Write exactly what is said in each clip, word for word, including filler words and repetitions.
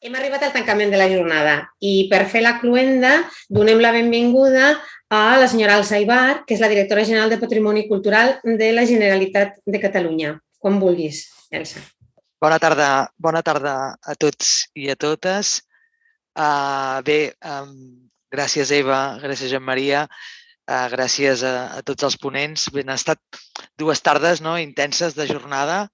Hem arribat al tancament de la jornada i per fer la cloenda donem la benvinguda a la senyora Elsa Ibar, que és la directora general de Patrimoni Cultural de la Generalitat de Catalunya. Quan vulguis, Elsa. Bona tarda, bona tarda a tots i a totes. Uh, bé, um, gràcies Eva, gràcies Joan Maria, uh, gràcies a, a tots els ponents. Bé, han estat dues tardes no, intenses de jornada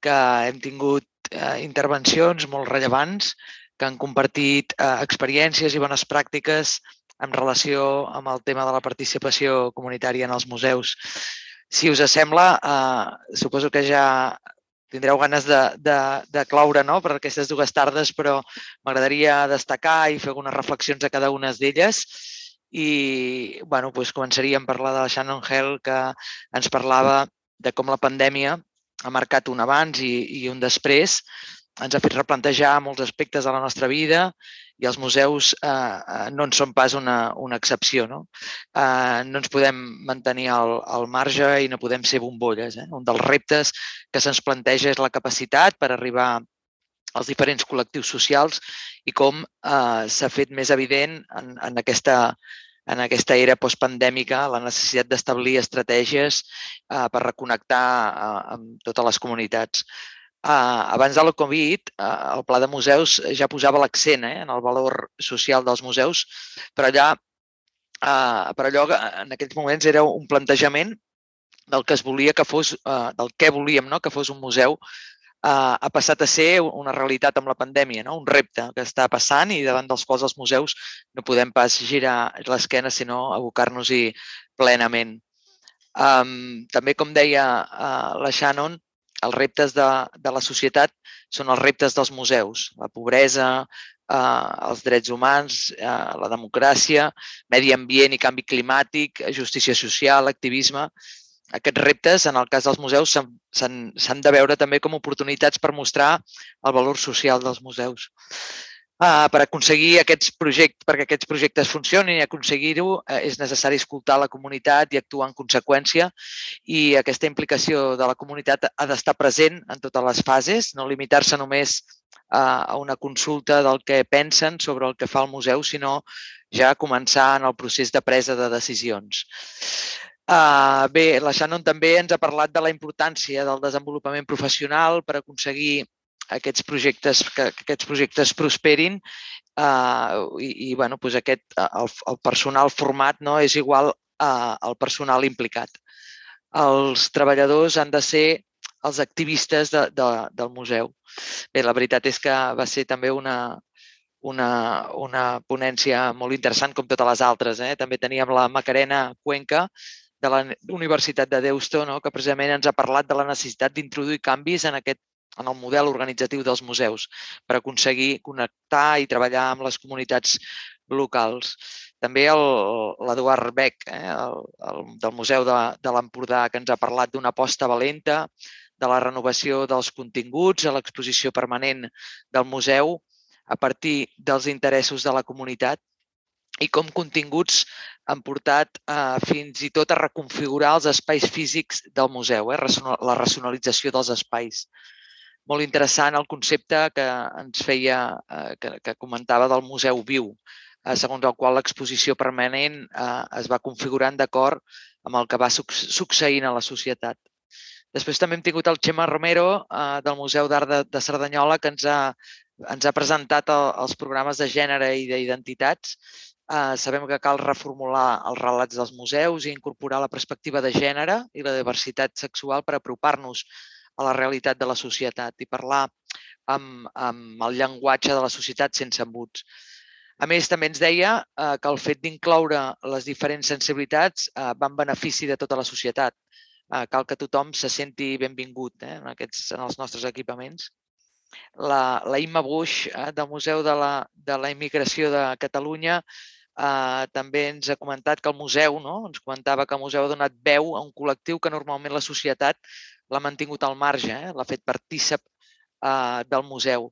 que hem tingut uh, intervencions molt rellevants que han compartit uh, experiències i bones pràctiques en relació amb el tema de la participació comunitària en els museus. Si us sembla, uh, suposo que ja tindreu ganes de, de, de cloure no? per aquestes dues tardes, però m'agradaria destacar i fer algunes reflexions a cada una d'elles. I bueno, doncs començaríem per la de la Shannon Hell, que ens parlava de com la pandèmia ha marcat un abans i, i un després, ens ha fet replantejar molts aspectes de la nostra vida i els museus eh, no en són pas una, una excepció. No? Eh, no ens podem mantenir al, al marge i no podem ser bombolles. Eh? Un dels reptes que se'ns planteja és la capacitat per arribar als diferents col·lectius socials i com eh, s'ha fet més evident en, en aquesta en aquesta era postpandèmica la necessitat d'establir estratègies eh, per reconnectar eh, amb totes les comunitats. Uh, abans de la Covid, uh, el Pla de Museus ja posava l'accent eh, en el valor social dels museus, però allà, uh, però allò en aquells moments era un plantejament del que es volia que fos, uh, del que volíem no? que fos un museu, uh, ha passat a ser una realitat amb la pandèmia, no? Un repte que està passant i davant dels quals els museus no podem pas girar l'esquena, sinó abocar-nos-hi plenament. Um, també, com deia uh, la Shannon, els reptes de, de la societat són els reptes dels museus. La pobresa, eh, els drets humans, eh, la democràcia, medi ambient i canvi climàtic, justícia social, activisme. Aquests reptes, en el cas dels museus, s'han de veure també com oportunitats per mostrar el valor social dels museus. Uh, per aconseguir aquests projectes, perquè aquests projectes funcionin i aconseguir-ho, uh, és necessari escoltar la comunitat i actuar en conseqüència, i aquesta implicació de la comunitat ha d'estar present en totes les fases, no limitar-se només uh, a una consulta del que pensen sobre el que fa el museu, sinó ja començar en el procés de presa de decisions. Uh, bé, la Shannon també ens ha parlat de la importància del desenvolupament professional per aconseguir aquests projectes, que, que aquests projectes prosperin uh, i, i bueno, doncs aquest, el, el personal format no, és igual uh, al personal implicat. Els treballadors han de ser els activistes de, de, del museu. Bé, la veritat és que va ser també una, una, una ponència molt interessant com totes les altres. Eh? També teníem la Macarena Cuenca de la Universitat de Deusto, no? que precisament ens ha parlat de la necessitat d'introduir canvis en aquest en el model organitzatiu dels museus per aconseguir connectar i treballar amb les comunitats locals. També l'Eduard Beck, eh, el, el, del Museu de, de l'Empordà, que ens ha parlat d'una aposta valenta, de la renovació dels continguts a l'exposició permanent del museu a partir dels interessos de la comunitat i com continguts han portat eh, fins i tot a reconfigurar els espais físics del museu, eh, la racionalització dels espais. Molt interessant el concepte que ens feia, eh, que, que comentava del museu viu, eh, segons el qual l'exposició permanent eh, es va configurant d'acord amb el que va succeint a la societat. Després també hem tingut el Xema Romero eh, del Museu d'Art de, de Cerdanyola, que ens ha, ens ha presentat el, els programes de gènere i d'identitats. Eh, sabem que cal reformular els relats dels museus i incorporar la perspectiva de gènere i la diversitat sexual per apropar-nos a la realitat de la societat i parlar amb, amb el llenguatge de la societat sense embuts. A més, també ens deia eh, que el fet d'incloure les diferents sensibilitats eh, va en benefici de tota la societat. Eh, cal que tothom se senti benvingut eh, en, aquests, en els nostres equipaments. La, la Imma Buix, eh, del Museu de la, de la Immigració de Catalunya, eh, també ens ha comentat que el museu, no? ens comentava que el museu ha donat veu a un col·lectiu que normalment la societat l'ha mantingut al marge, eh? l'ha fet partícip eh, del museu.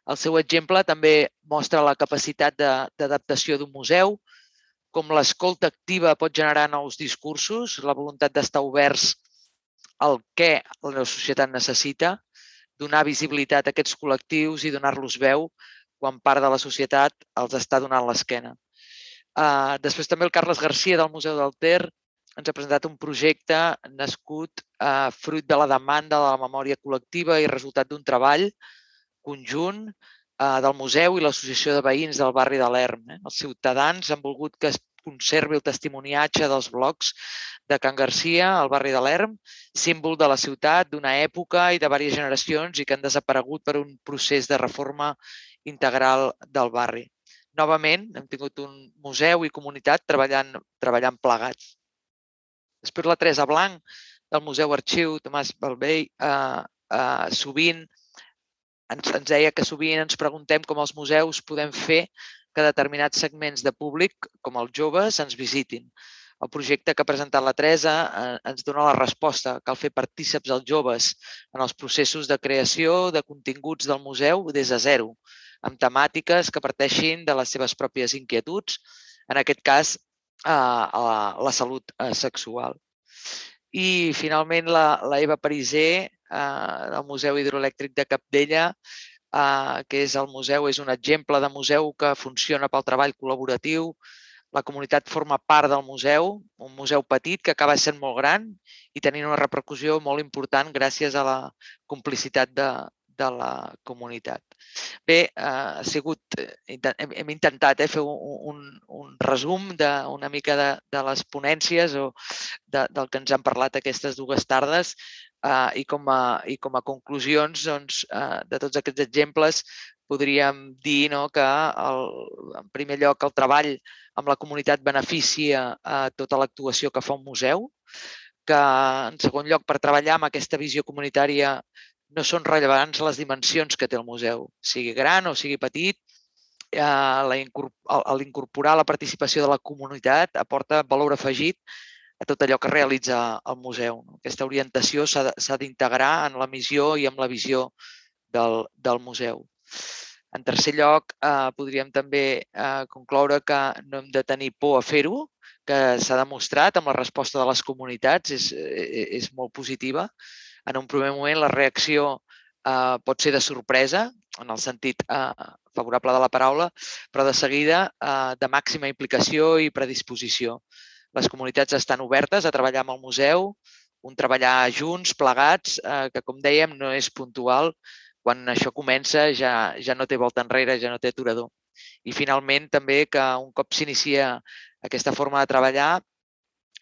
El seu exemple també mostra la capacitat d'adaptació d'un museu, com l'escolta activa pot generar nous discursos, la voluntat d'estar oberts al què la societat necessita, donar visibilitat a aquests col·lectius i donar-los veu quan part de la societat els està donant l'esquena. Uh, després també el Carles Garcia del Museu del Ter ens ha presentat un projecte nascut uh, fruit de la demanda de la memòria col·lectiva i resultat d'un treball conjunt uh, del museu i l'Associació de Veïns del barri de l'Erm. Eh? Els ciutadans han volgut que es conservi el testimoniatge dels blocs de Can Garcia, al barri de l'Erm, símbol de la ciutat, d'una època i de diverses generacions i que han desaparegut per un procés de reforma integral del barri. Novament, hem tingut un museu i comunitat treballant, treballant plegats. Després la Teresa Blanc, del Museu Arxiu Tomàs Balvell, eh, eh, sovint ens, ens deia que sovint ens preguntem com els museus podem fer que determinats segments de públic, com els joves, ens visitin. El projecte que ha presentat la Teresa eh, ens dona la resposta. Cal fer partíceps als joves en els processos de creació de continguts del museu des de zero, amb temàtiques que parteixin de les seves pròpies inquietuds, en aquest cas, eh, la, la salut eh, sexual. I, finalment, la, la Eva Pariser, eh, del Museu Hidroelèctric de Capdella, eh, que és el museu, és un exemple de museu que funciona pel treball col·laboratiu. La comunitat forma part del museu, un museu petit que acaba sent molt gran i tenint una repercussió molt important gràcies a la complicitat de, de la comunitat. Bé, ha sigut, hem, hem intentat eh, fer un, un resum de, una mica de, de les ponències o de, del que ens han parlat aquestes dues tardes eh, i, com a, i com a conclusions doncs, eh, de tots aquests exemples podríem dir no, que el, en primer lloc el treball amb la comunitat beneficia a tota l'actuació que fa un museu, que en segon lloc per treballar amb aquesta visió comunitària no són rellevants les dimensions que té el museu, sigui gran o sigui petit, l'incorporar la participació de la comunitat aporta valor afegit a tot allò que realitza el museu. Aquesta orientació s'ha d'integrar en la missió i en la visió del, del museu. En tercer lloc, eh, podríem també eh, concloure que no hem de tenir por a fer-ho, que s'ha demostrat amb la resposta de les comunitats, és, és molt positiva. En un primer moment la reacció eh, pot ser de sorpresa, en el sentit eh, favorable de la paraula, però de seguida eh, de màxima implicació i predisposició. Les comunitats estan obertes a treballar amb el museu, un treballar junts, plegats, eh, que com dèiem no és puntual. Quan això comença ja, ja no té volta enrere, ja no té aturador. I finalment també que un cop s'inicia aquesta forma de treballar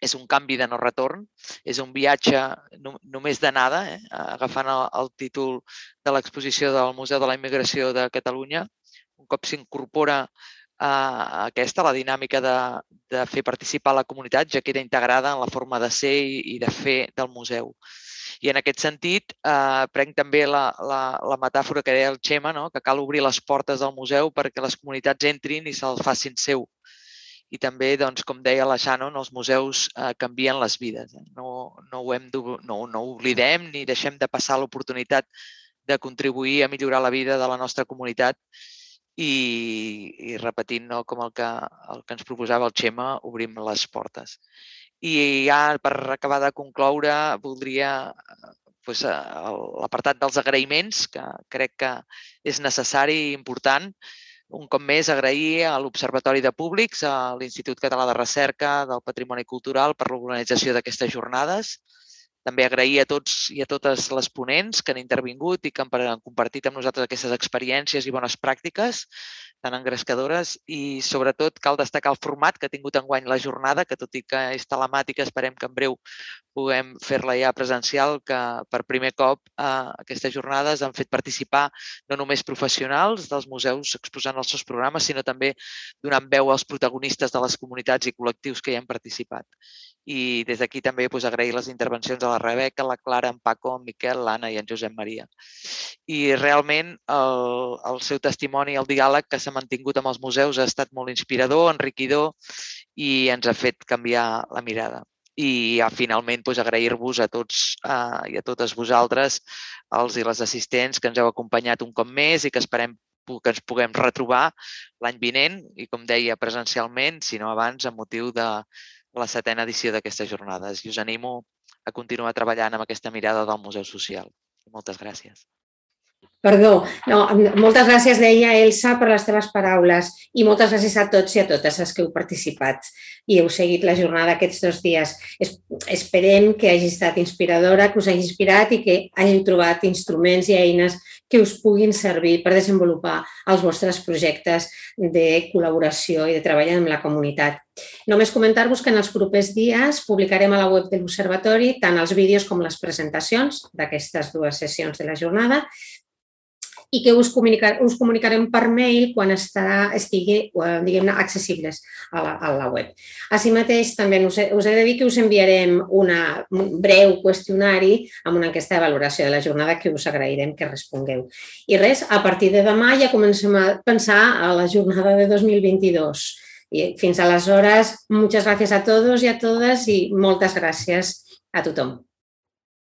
és un canvi de no retorn, és un viatge no, només d'anada, eh? agafant el, el títol de l'exposició del Museu de la Immigració de Catalunya. Un cop s'incorpora a aquesta, la dinàmica de, de fer participar la comunitat, ja queda integrada en la forma de ser i, i de fer del museu. I en aquest sentit, eh, prenc també la, la, la metàfora que deia el Xema, no? Que cal obrir les portes del museu perquè les comunitats entrin i se'ls facin seu. I també, doncs, com deia la Shannon, els museus eh, canvien les vides. Eh? No, no, ho hem no, no ho oblidem ni deixem de passar l'oportunitat de contribuir a millorar la vida de la nostra comunitat i, i repetint no, com el que, el que ens proposava el Xema, obrim les portes. I ja per acabar de concloure voldria doncs, l'apartat dels agraïments, que crec que és necessari i important. Un cop més, agrair a l'Observatori de Públics, a l'Institut Català de Recerca del Patrimoni Cultural per l'organització d'aquestes jornades. També agrair a tots i a totes les ponents que han intervingut i que han compartit amb nosaltres aquestes experiències i bones pràctiques tan engrescadores i, sobretot, cal destacar el format que ha tingut enguany la jornada, que tot i que és telemàtica, esperem que en breu puguem fer-la ja presencial, que per primer cop eh, aquestes jornades han fet participar no només professionals dels museus exposant els seus programes, sinó també donant veu als protagonistes de les comunitats i col·lectius que hi han participat. I des d'aquí també doncs, agrair les intervencions de la Rebeca, la Clara, en Paco, en Miquel, l'Anna i en Josep Maria. I realment el, el seu testimoni, el diàleg que s'ha mantingut amb els museus ha estat molt inspirador, enriquidor i ens ha fet canviar la mirada. I ja, finalment doncs, agrair-vos a tots eh, i a totes vosaltres, els i les assistents que ens heu acompanyat un cop més i que esperem que ens puguem retrobar l'any vinent i, com deia, presencialment, si no abans, amb motiu de la setena edició d'aquestes jornades. I us animo a continuar treballant amb aquesta mirada del Museu Social. Moltes gràcies. Perdó, no, moltes gràcies, deia Elsa, per les teves paraules i moltes gràcies a tots i a totes els que heu participat i heu seguit la jornada aquests dos dies. Esperem que hagi estat inspiradora, que us hagi inspirat i que hàgiu trobat instruments i eines que us puguin servir per desenvolupar els vostres projectes de col·laboració i de treball amb la comunitat. Només comentar-vos que en els propers dies publicarem a la web de l'Observatori tant els vídeos com les presentacions d'aquestes dues sessions de la jornada i que us, comunicar, us comunicarem per mail quan estarà, estigui, diguem-ne, accessibles a la, a la web. Així mateix, també us he, us he de dir que us enviarem una, un breu qüestionari amb una enquesta de valoració de la jornada que us agrairem que respongueu. I res, a partir de demà ja comencem a pensar a la jornada de dos mil vint-i-dos. I fins aleshores, moltes gràcies a tots i a totes i moltes gràcies a tothom.